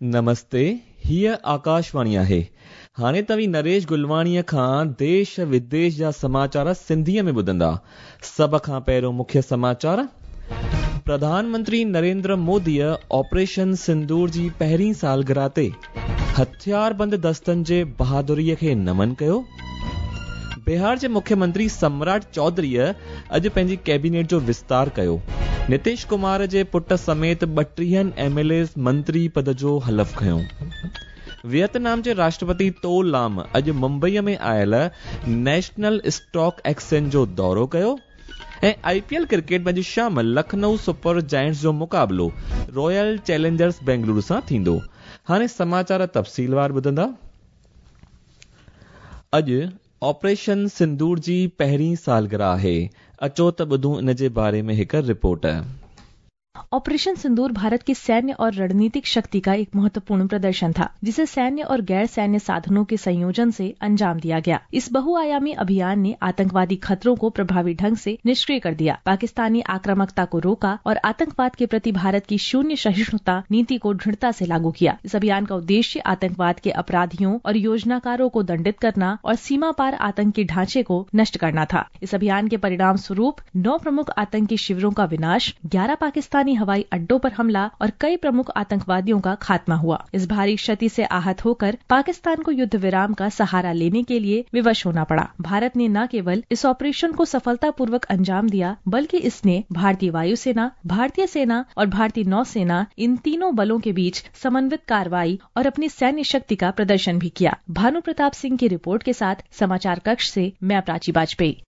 نمستي، هيء آڪاشواڻي آهي. هاڻي توهين نريش گلواڻيء کان ديش وديش جا سماچار سنڌيء ۾ ٻڌندا. سڀ کان پهريون مکيه سماچار. پرڌان منتري نريندر موديء آپريشن سندور جي پهرين سالگرهه تي هٿياربند دستن جي بهادريء کي نمن ڪيو. بهار جي مکيه منتري سمراٽ چوڌريء اڄ پنهنجي ڪيبينيٽ جو وستار ڪيو. نتيش ڪمار جي پٽ سميت ٻٽيهن ايم ايل ايز منتري پد جو حلف کنيو. ويتنام جي راشٽرپتي تو لام اڄ ممبئيء ۾ آيل نيشنل اسٽاڪ ايڪسچينج جو دورو ڪيو ۽ آء پي ايل ڪرڪيٽ ۾ اڄ شام لکنئو سپر جائنٽس جو مقابلو رائل چئلينجرز بينگلورو سان ٿيندو. هاڻي سماچار تفصيلوار ٻڌندا. اڄ آپريشن سندور جي پهرين سالگرهه آهي، اچو ته ٻڌون ان جي باري ۾ هڪ رپورٽ. ऑपरेशन सिंदूर भारत की सैन्य और रणनीतिक शक्ति का एक महत्वपूर्ण प्रदर्शन था, जिसे सैन्य और गैर सैन्य साधनों के संयोजन से अंजाम दिया गया। इस बहुआयामी अभियान ने आतंकवादी खतरों को प्रभावी ढंग से निष्क्रिय कर दिया, पाकिस्तानी आक्रामकता को रोका और आतंकवाद के प्रति भारत की शून्य सहिष्णुता नीति को दृढ़ता से लागू किया। इस अभियान का उद्देश्य आतंकवाद के अपराधियों और योजनाकारों को दंडित करना और सीमा पार आतंकी ढांचे को नष्ट करना था। इस अभियान के परिणाम स्वरूप 9 प्रमुख आतंकी शिविरों का विनाश, 11 पाकिस्तानी हवाई अड्डों पर हमला और कई प्रमुख आतंकवादियों का खात्मा हुआ। इस भारी क्षति से आहत होकर पाकिस्तान को युद्ध विराम का सहारा लेने के लिए विवश होना पड़ा। भारत ने न केवल इस ऑपरेशन को सफलतापूर्वक अंजाम दिया, बल्कि इसने भारतीय वायुसेना, भारतीय सेना और भारतीय नौसेना, इन तीनों बलों के बीच समन्वित कार्रवाई और अपनी सैन्य शक्ति का प्रदर्शन भी किया। भानु प्रताप सिंह की रिपोर्ट के साथ समाचार कक्ष से मैं प्राची वाजपेयी।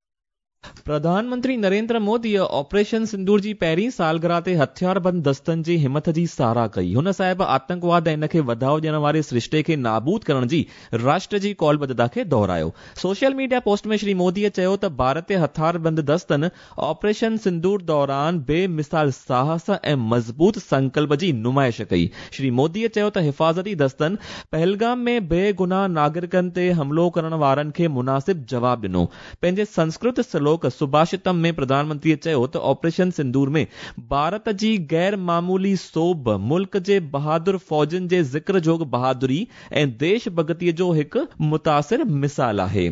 प्रधान मंत्री नरेंद्र मोदीअ ऑपरेशन सिंदूर जी पहिरीं सालगिरह ते हथियारबंद दस्तनि जी हिमत जी साराह कई। हुन साहिब आतंकवाद ऐं इन खे वधाओ ॾियण वारे सरिश्ते खे नाबूद करण जी राष्ट्र जी क़ौलबद्धता खे दोहरायो। सोशल मीडिया पोस्ट में श्री मोदीअ चयो त भारतीय हथियारबंद दस्तनि ऑपरेशन सिंदूर दौरान बेमिसाल साहस ऐं मज़बूत संकल्प जी नुमाइश कई। श्री मोदीअ चयो त हिफ़ाज़ती दस्तनि पहलगाम में बेगुनाह नागरिकनि ते हमलो करण वारनि खे मुनासिब जवाब ॾिनो। पंहिंजे संस्कृत श्लोक सुभाषितम में प्रधानमंत्रीअ चयो त ऑपरेशन सिंदूर में भारत जी गैर मामूली सोभ मुल्क जे बहादुर फ़ौजियुनि जे ज़िक्र जोग बहादुरी ऐं देश भगतीअ जो हिकु मुतासिर मिसाल आहे।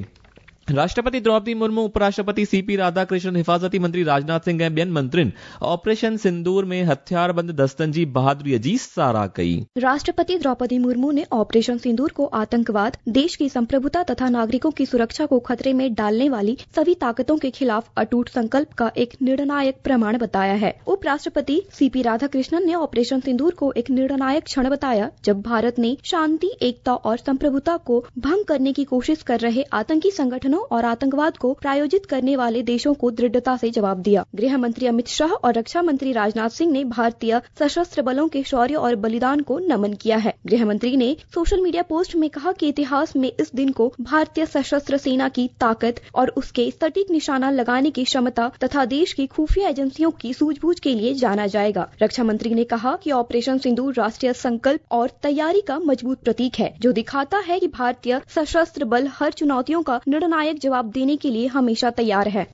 राष्ट्रपति द्रौपदी मुर्मू, उपराष्ट्रपति सी पी राधाकृष्णन, हिफ़ाज़ती मंत्री राजनाथ सिंह ऐं ॿियनि मंत्रियुनि ऑपरेशन सिंदूर में हथियारबंद दस्तनि जी बहादुरीअ जी साराह कई। राष्ट्रपति द्रौपदी मुर्मू ने ऑपरेशन सिंदूर को आतंकवाद, देश की संप्रभुता तथा नागरिकों की सुरक्षा को खतरे में डालने वाली सभी ताकतों के खिलाफ अटूट संकल्प का एक निर्णायक प्रमाण बताया है। उपराष्ट्रपति सीपी राधाकृष्णन ने ऑपरेशन सिंदूर को एक निर्णायक क्षण बताया, जब भारत ने शांति, एकता और संप्रभुता को भंग करने की कोशिश कर रहे आतंकी संगठनों और आतंकवाद को प्रायोजित करने वाले देशों को दृढ़ता से जवाब दिया। गृह मंत्री अमित शाह और रक्षा मंत्री राजनाथ सिंह ने भारतीय सशस्त्र बलों के शौर्य और बलिदान को नमन किया है। गृह मंत्री ने सोशल मीडिया पोस्ट में कहा कि इतिहास में इस दिन को भारतीय सशस्त्र सेना की ताकत और उसके सटीक निशाना लगाने की क्षमता तथा देश की खुफिया एजेंसियों की सूझबूझ के लिए जाना जाएगा। रक्षा मंत्री ने कहा कि ऑपरेशन सिंदूर राष्ट्रीय संकल्प और तैयारी का मजबूत प्रतीक है, जो दिखाता है कि भारतीय सशस्त्र बल हर चुनौतियों का निर्णायक जवाब देने के लिए हमेशा तैयार है।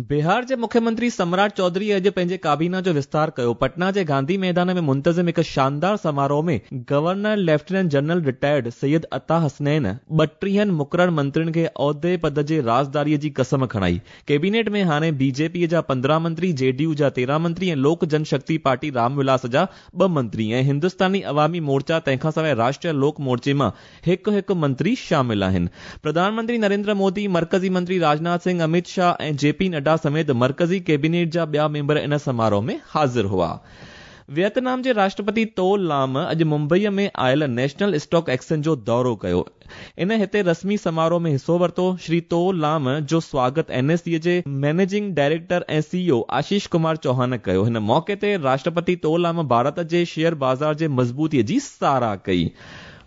बिहार जे मुख्यमंत्री सम्राट चौधरी अॼु पंहिंजे काबीना जो विस्तार कयो। पटना जे गांधी मैदान में मुंतज़िम हिकु शानदार समारोह में governor lieutenant general retired Syed Ata Hasnain 32 मुक़रर मंत्रियुनि खे औहदे पद जे राज़दारीअ जी कसम खणाई। कैबिनेट में हाणे बीजेपीअ जा 15 मंत्री, जेडीयू जा 13 मंत्री ऐं लोक जनशक्ति पार्टी रामविलास जा 2 मंत्री ऐं हिंदुस्तानी अवामी मोर्चा तंहिंखां सवाइ राष्ट्रीय लोक मोर्चे मां हिकु हिकु मंत्री शामिल आहिनि। प्रधानमंत्री नरेंद्र मोदी, मर्कज़ी मंत्री राजनाथ सिंह, अमित शाह ऐं जेपी नड्डा समेत मर्कज़ी कैबिनेट जा ॿिया मेंबर इन समारोह में हाज़िर हुआ। वियतनाम जे राष्ट्रपति तो लाम अॼु मुंबईअ में आयल नेशनल स्टॉक एक्सचेंज जो दौरो कयो। इन हिते रस्मी समारोह में हिसो वरितो। श्री तो लाम जो स्वागत एनएसई जे मैनेजिंग डायरेक्टर ऐं सीईओ आशीष कुमार चौहान कयो। हिन मौक़े ते राष्ट्रपति तो लाम भारत जे शेयर बाज़ार जे मज़बूतीअ जी साराह कई।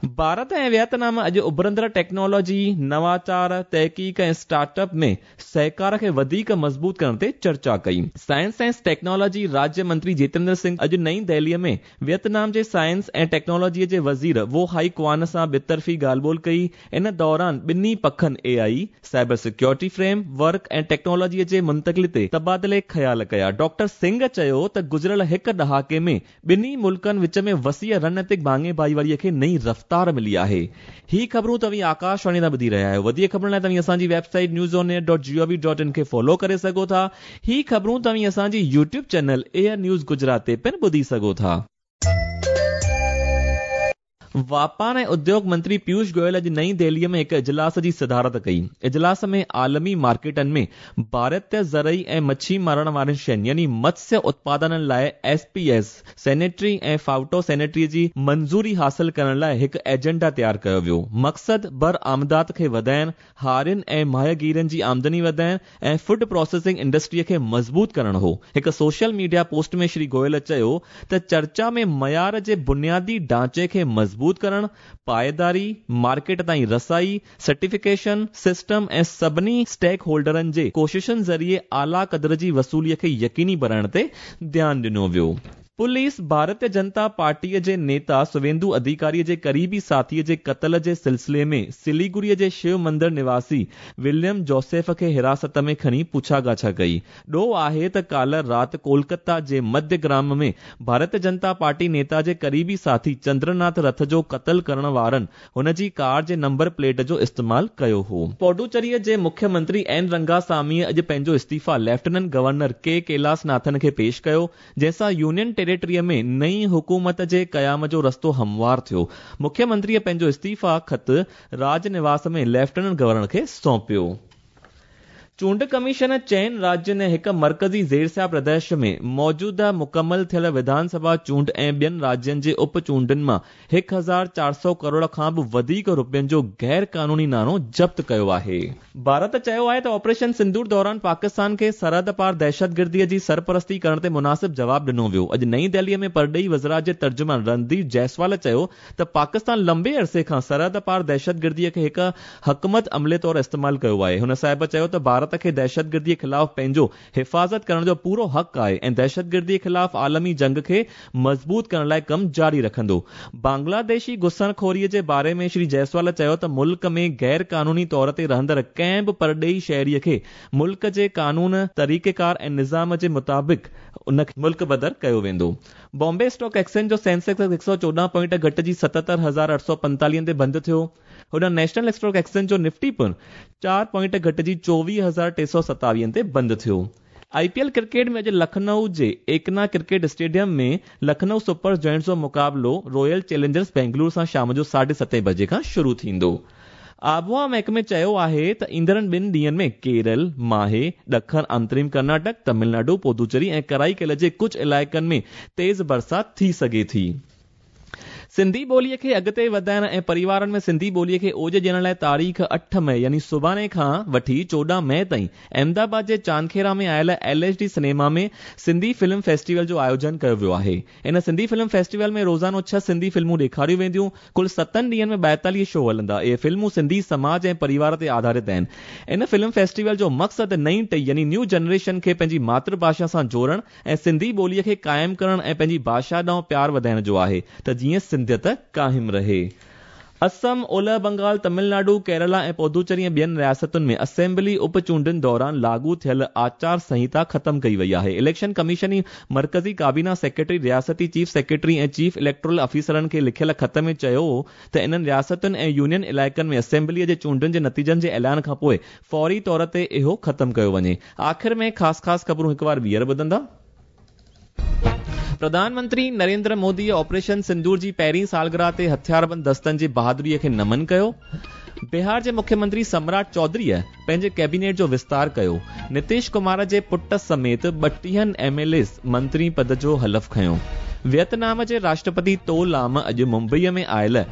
ڀارت ۽ ويتنام اڄ اڀرندڙ ٽيڪنالاجي، نواچار، تحقيق ۽ اسٽارٽ اپ ۾ سهڪار کي وڌيڪ مضبوط ڪرڻ تي چرچا ڪئي. سائنس ۽ ٽيڪنالاجي راجيه منتري جيتندر سنگهه اڄ نئين دهليء ۾ ويتنام جي سائنس ۽ ٽيڪنالاجي جي وزير وو هائي ڪوان سان ٻطرفي ڳالهه ٻولهه ڪئي. ان دوران ٻنهي پکن A I, cyber security framework ۽ technology جي منتقلي تي تبادلي خيال ڪيا. ڊاڪٽر سنگهه چيو ته گذريل هڪ ڏهاڪي ۾ ٻنهي ملڪن وچ ۾ وسيع رڻنيتڪ ڀاڱي ڀائيواري کي نئين رفتار ملي آهي. هي خبرون توهين آڪاشواڻي تان ٻڌي رهيا آهيو. وڌيڪ خبرن لاء توهين اسان جي website news on air dot G O V dot in کي فالو ڪري سگهو ٿا. هي خبرون توهين اسان جي YouTube channel AIR news Gujarat تي پڻ ٻڌي سگهو ٿا. واپار ۽ اديوگ منتري پيوش گويل اڄ نئين دهليء ۾ هڪ اجلاس جي صدارت ڪئي. اجلاس ۾ عالمي مارڪيٽن ۾ ڀارتي زرعي ۽ مڇي مارڻ وارين شين يعني متسيه اتپادنن لاء S P S, sanitary ۽ phyto sanitary جي منظوري حاصل ڪرڻ لاء هڪ ايجنڊا تيار ڪيو ويو. مقصد برآمدات کي وڌائڻ، هارين ۽ ماهيگيرن جي آمدني وڌائڻ ۽ فوڊ پراسيسنگ انڊسٽري کي مضبوط ڪرڻ هو. هڪ social media post ۾ Shri Goyal چيو ته چرچا ۾ معيار جي بنيادي ڍانچي کي مضبوط ڪرڻ، پائيداري، مارڪيٽ تائين رسائي، سرٽيفڪيشن سسٽم ۽ سڀني اسٽيڪ هولڊرن جي ڪوششن ذريعي اعليٰ قدر جي وصولي کي يقيني بڻائڻ تي ڌيان ڏنو ويو. پوليس ڀارتيه جنتا پارٽيء جي نيتا سويندو اڌيڪاريء جي قريبي ساٿيء جي قتل جي سلسلي ۾ سليگوريء جي شو مندر نواسي وليم جوسيف کي حراست ۾ کڻي پڇا ڳاڇا ڪئي. ڏوهه آهي ته ڪالهه رات ڪولڪتا جي مڌيه گرام ۾ ڀارتيه جنتا پارٽي نيتا جي قريبي ساٿي چندرناٿ رٿ جو قتل ڪرڻ وارن هن جي ڪار جي نمبر پليٽ جو استعمال ڪيو هو. پوڊوچريء جي مکيه منتري اين رنگاساميء اڄ پنهنجو استعيفيٰ ليفٽيننٽ گورنر ڪي ڪيلاس ناٿن کي پيش ڪيو. جنهن سان يونين ٽيريٽريء ۾ نئين حڪومت جي قيام جو رستو هموار ٿيو. مکيه منتريء پنهنجو استعيفيٰ خط راج نواس ۾ ليفٽيننٽ گورنر کي سونپيو. چونڊ ڪميشن چئن راجين ۽ هڪ مرڪزي زيرسيا پرديش ۾ موجوده مڪمل ٿيل وڌان سڀا چونڊ ۽ ٻين راجين جي اپ چونڊن مان 1400 ڪروڙ کان به وڌيڪ رپين جو غير قانوني ناڻو ضبط ڪيو آهي. ڀارت چيو آهي ته آپريشن سندور دوران پاڪستان کي سرحد پار دهشتگردي جي سرپرستي ڪرڻ تي مناسب جواب ڏنو ويو. اڄ نئين دهلي ۾ پرڏيهي وزارت جي ترجمان رنڌير جئسوال چيو ته پاڪستان لنبي عرصي کان سرحد پار دهشتگردي کي هڪ حڪمت عملي طور استعمال ڪيو آهي. هن صاحب چيو ته ڀارت کي دهشتگردي خلاف پنهنجو حفاظت ڪرڻ جو پورو حق آهي ۽ دهشتگردي خلاف عالمي جنگ کي مضبوط ڪرڻ لاء ڪم جاري رکندو. بنگلاديشي گسڻخوري جي باري ۾ شري جئسوال چيو ته ملڪ ۾ غير قانوني طور تي رهندڙ ڪنهن به پرڏيهي شهري کي ملڪ جي قانون، طريقيڪار ۽ نظام جي مطابق ان کي ملڪ بدر ڪيو ويندو. بامبي اسٽاڪ ايڪسچينج جو سينسيڪس 114 پوائنٽ گهٽجي 77,845 تي بند ٿيو. هوڏانهن نيشنل اسٽاڪ ايڪسچينج جو نفٽي پڻ چار پوائنٽ گهٽجي 24,327 تي بند ٿيو. آء پي ايل ڪرڪيٽ ۾ اڄ لکنئو جي Ekana cricket stadium ۾ Lucknow super giants جو مقابلو رائل چئلينجرز بينگلور سان شام جو ساڍي ستين بجي کان شروع ٿيندو. آبهوا محڪمي چيو آهي ته ايندڙن ٻن ڏينهن ۾ ڪيرل، ماهي، ڏکڻ انتريم ڪرناٽڪ، تمل ناڊو، پودوچيري ۽ ڪرائيڪل جي ڪجهه علائقن ۾ تيز برسات ٿي سگهي ٿي. سنڌي ٻوليء کي اڳتي وڌائڻ ۽ پريوارن ۾ سنڌي ٻوليء کي اوج ڏيڻ لاء تاريخ اٺ مئي يعني سڀاڻي کان وٺي 14 مئي تائين احمدآباد جي چاندکيرا ۾ آيل L H D cinema ۾ Sindhi film festival جو آيوجن ڪيو ويو آهي. ان سنڌي فلم فيسٽيول ۾ روزانو ڇهه سنڌي فلمون ڏيکاريون وينديون. ڪل ستن ڏينهن ۾ 42 شو هلندا. اهي فلمون سنڌي سماج ۽ پريوار تي آڌارت آهن. ان فلم فيسٽيول جو مقصد نئين ٽهي يعني نيو جنريشن کي پنهنجي ماتر ڀاشا سان جوڙڻ ۽ سنڌي ٻوليء کي قائم ڪرڻ ۽ پنهنجي ڀاشا ڏانهن پيار وڌائڻ جو آهي ته جيئن سنڌيت قائم رهي. اسم، اولهه بنگال، تمل ناڊو، ڪيرالا ۽ پودوچري ۽ ٻين رياستن ۾ اسيمبلي اپ چونڊن دوران لاڳو ٿيل آچار سنهيتا ختم ڪئي وئي آهي. اليڪشن ڪميشن جي مرڪزي ڪابينا سيڪريٽري رياستي چيف سيڪريٽري ۽ چيف اليڪٽورل آفيسرن کي لکيل خط ۾ چيو ته انهن رياستن ۽ يونين علائقن ۾ اسيمبليء جي چونڊن جي نتيجن جي اعلان کانپوء فوري طور تي اهو ختم ڪيو وڃي. آخر ۾ خاص خاص خبرون هڪ وار ٻيهر ٻڌندا. پرڌان منتري نريندر موديء آپريشن سندور جي پهرين سالگرهه تي هٿياربند دستن جي بهادريء کي نمن ڪيو. بهار جي مکيه منتري سمراٽ چوڌريء پنهنجي ڪيبينيٽ جو وستار ڪيو. نتيش ڪمار جي پٽ سميت 32 ايم ايل ايز منتري پد جو حلف کنيو. ويتنام جي راشٽرپتي تو لام اڄ ممبئيء ۾ آيل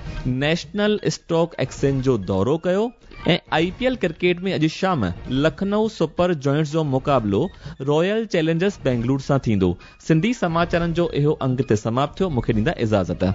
نيشنل اسٽاڪ ايڪسچينج جو دورو ڪيو. ۽ آء پي ايل ڪرڪيٽ ۾ اڄ شام لکنئو سپر جوائنٽس جو مقابلو رائل چئلينجرز بينگلور سان ٿيندو. سنڌي سماچارن جو اهو انگ هتي سماپت ٿيو. مون کي ڏيندا اجازت.